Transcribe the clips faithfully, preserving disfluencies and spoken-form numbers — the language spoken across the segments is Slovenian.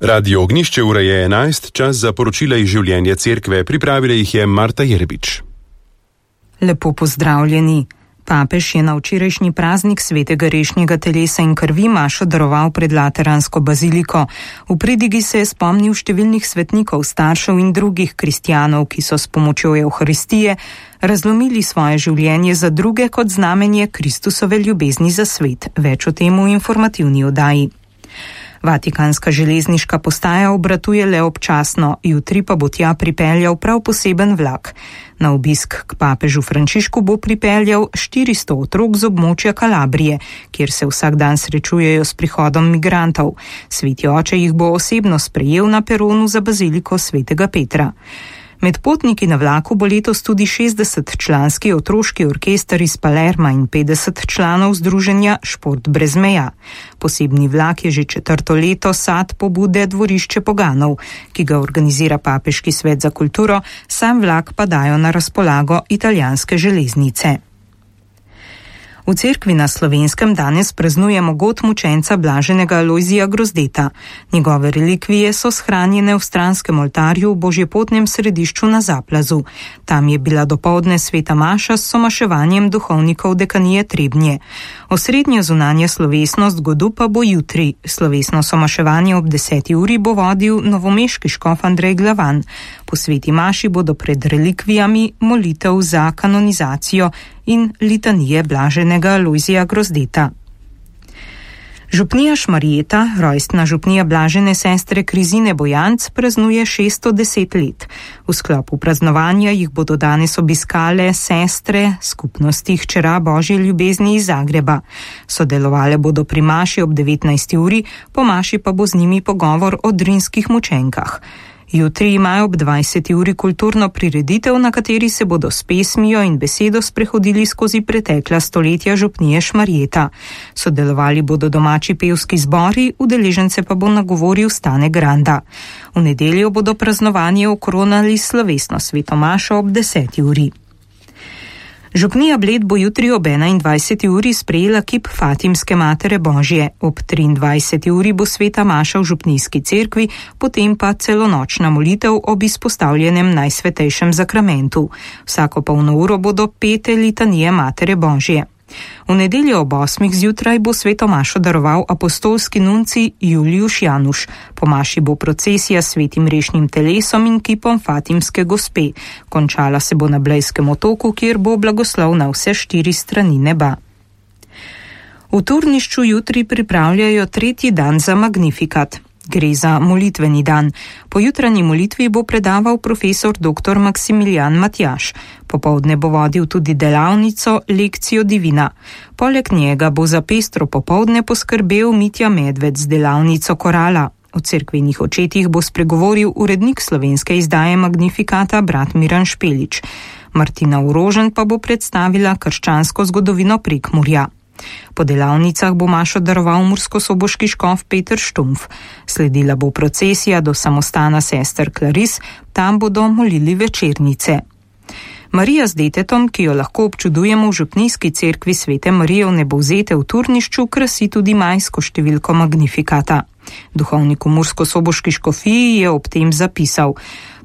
Radio Ognjišče ura je enajst, čas za poročila iz življenja cerkve, pripravila jih je Marta Jerbič. Lepo pozdravljeni. Papež je na včerajšnji praznik svetega rešnjega telesa in krvi mašo daroval pred Lateransko baziliko. V pridigi se je spomnil številnih svetnikov, staršev in drugih kristjanov, ki so s pomočjo Evharistije razlomili svoje življenje za druge kot znamenje Kristusove ljubezni za svet. Več o tem v informativni oddaji. Vatikanska železniška postaja obratuje le občasno, jutri pa bo tja pripeljal prav poseben vlak. Na obisk k papežu Frančišku bo pripeljal štiristo otrok z območja Kalabrije, kjer se vsak dan srečujejo s prihodom migrantov. Sveti oče jih bo osebno sprejel na peronu za baziliko svetega Petra. Med potniki na vlaku bo letos tudi šestdesetčlanski otroški orkester iz Palerma in petdeset članov združenja Šport brez meja. Posebni vlak je že četrto leto sad pobude Dvorišče poganov, ki ga organizira Papeški svet za kulturo, sam vlak pa dajo na razpolago italijanske železnice. V cerkvi na Slovenskem danes praznujemo god mučenca blaženega Alojzija Grozdeta. Njegove relikvije so shranjene v stranskem oltarju v Božjepotnem središču na Zaplazu. Tam je bila dopoldne sveta maša s somaševanjem duhovnikov dekanije Trebnje. Osrednja zunanja slovesnost godu pa bo jutri. Slovesno somaševanje ob deseti uri bo vodil novomeški škof Andrej Glavan. Po sveti maši bodo pred relikvijami molitev za kanonizacijo in litanije blaženega Alojzija Grozdeta. Župnija Šmarjeta, rojstna župnija blažene sestre Krizine Bojanc, praznuje šeststo deset let. V sklopu praznovanja jih bodo danes obiskale sestre skupnosti Hčera Božje ljubezni iz Zagreba. Sodelovale bodo pri maši ob devetnajsti uri, po maši pa bo z njimi pogovor o drinskih mučenkah. Jutri imajo ob dvajseti uri kulturno prireditev, na kateri se bodo s pesmijo in besedo sprehodili skozi pretekla stoletja župnije Šmarjeta. Sodelovali bodo domači pevski zbori, udeležence pa bo nagovoril Stane Granda. V nedeljo bodo praznovanje okronali slovesno sveto mašo ob deseti uri. Župnija Bled bo jutri ob enaindvajseti uri sprejela kip Fatimske Matere Božje. Ob triindvajseti uri bo sveta maša v župnijski cerkvi, potem pa celonočna molitev ob izpostavljenem najsvetejšem zakramentu. Vsako polno uro bodo pete litanije Matere Božje. V nedeljo ob osmih zjutraj bo sveto mašo daroval apostolski nunci Julijuš Januš. Po maši bo procesija s svetim rešnim telesom in kipom Fatimske gospe. Končala se bo na Blejskem otoku, kjer bo blagoslov na vse štiri strani neba. V Turnišču jutri pripravljajo tretji dan za Magnifikat. Gre za molitveni dan. Po jutranji molitvi bo predaval profesor dr. Maksimilijan Matjaž. Popoldne bo vodil tudi delavnico Lekcijo divina. Poleg njega bo za pestro popoldne poskrbel Mitja Medved z delavnico Korala. O cerkvenih očetih bo spregovoril urednik slovenske izdaje Magnifikata brat Miran Špelič. Martina Urožen pa bo predstavila krščansko zgodovino Prekmurja. Po delavnicah bo mašo daroval murskosoboški škof Peter Štumpf. Sledila bo procesija do samostana sester Klaris, tam bodo molili večernice. Marija z detetom, ki jo lahko občudujemo v župnijski cerkvi Svete Marije v Nebovzete v Turnišču, krasi tudi majsko številko Magnifikata. Duhovnik v murskosoboški škofiji je ob tem zapisal: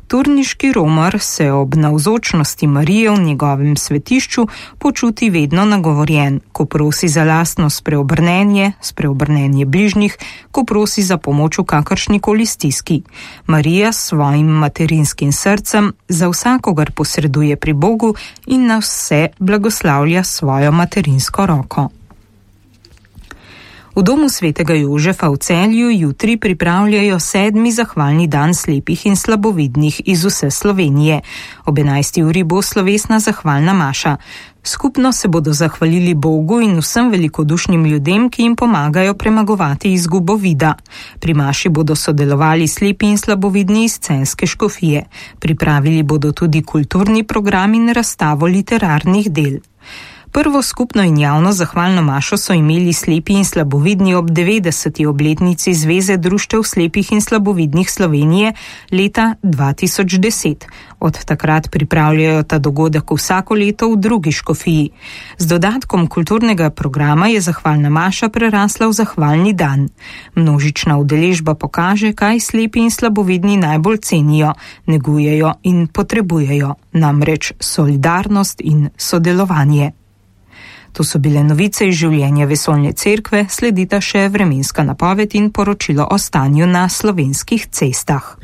Turniški romar se ob navzočnosti Marije v njegovem svetišču počuti vedno nagovorjen, ko prosi za lastno spreobrnenje, spreobrnenje bližnjih, ko prosi za pomoč v kakršnikoli stiski. Marija s svojim materinskim srcem za vsakogar posreduje pri Bogu in nas vse blagoslavlja svojo materinsko roko. V domu svetega Jožefa v Celju jutri pripravljajo sedmi zahvalni dan slepih in slabovidnih iz vse Slovenije. Ob enajsti uri bo slovesna zahvalna maša. Skupno se bodo zahvalili Bogu in vsem velikodušnim ljudem, ki jim pomagajo premagovati izgubo vida. Pri maši bodo sodelovali slepi in slabovidni iz Celjske škofije. Pripravili bodo tudi kulturni program in razstavo literarnih del. Prvo skupno in javno zahvalno mašo so imeli slepi in slabovidni ob devetdeseti obletnici Zveze društev slepih in slabovidnih Slovenije leta dva tisoč deset. Od takrat pripravljajo ta dogodek vsako leto v drugi škofiji. Z dodatkom kulturnega programa je zahvalna maša prerasla v zahvalni dan. Množična udeležba pokaže, kaj slepi in slabovidni najbolj cenijo, negujejo in potrebujejo, namreč solidarnost in sodelovanje. To so bile novice iz življenja Vesoljne cerkve, sledita še vremenska napoved in poročilo o stanju na slovenskih cestah.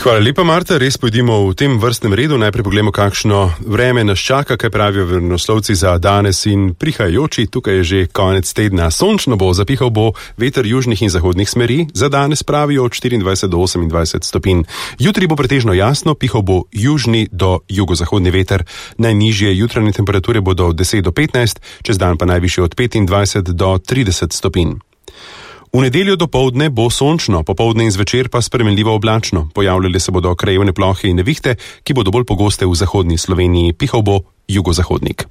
Hvala lepa, Marta. Res pojdimo v tem vrstnem redu. Najprej pogledamo, kakšno vreme nas čaka, kaj pravijo vremenoslovci za danes in prihajajoči. Tukaj je že konec tedna. Sončno bo, zapihal bo veter južnih in zahodnih smeri. Za danes pravijo od štiriindvajset do osemindvajset stopinj. Jutri bo pretežno jasno, pihal bo južni do jugozahodni veter. Najnižje jutranje temperature bodo od deset do petnajst, čez dan pa najvišje od petindvajset do trideset stopinj. V nedeljo dopoldne bo sončno, popoldne in zvečer pa spremenljivo oblačno. Pojavljale se bodo krajevne plohe in nevihte, ki bodo bolj pogoste v zahodni Sloveniji. Pihal bo jugozahodnik.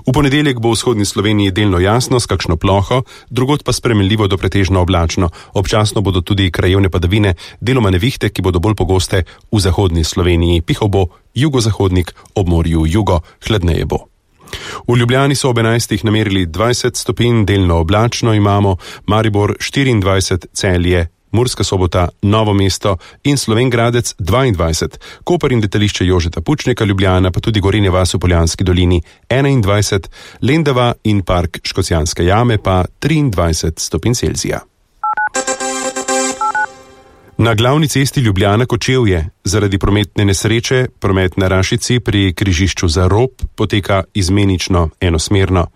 V ponedeljek bo v vzhodni Sloveniji delno jasno s kakšno ploho, drugod pa spremenljivo do pretežno oblačno. Občasno bodo tudi krajevne padavine, deloma nevihte, ki bodo bolj pogoste v zahodni Sloveniji. Pihal bo jugozahodnik, ob morju jugo, hladneje bo. V Ljubljani so ob enajstih namerili dvajset stopinj, delno oblačno imamo, Maribor štiriindvajset, Celje, Murska Sobota, Novo mesto in Slovenj Gradec dvaindvajset, Koper in letališče Jožeta Pučnika, Ljubljana pa tudi Gorenja vas v Poljanski dolini enaindvajset, Lendava in park Škocjanske jame pa triindvajset stopinj Celzija. Na glavni cesti Ljubljana-Kočevje zaradi prometne nesreče promet na Rašici pri križišču za Rob poteka izmenično enosmerno.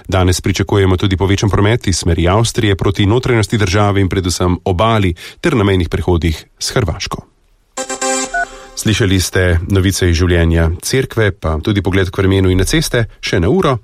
Danes pričakujemo tudi povečan promet iz smeri Avstrije proti notranjosti države in predvsem obali ter na mejnih prehodih s Hrvaško. Slišali ste novice iz življenja cerkve, pa tudi pogled k vremenu in na ceste, še na uro.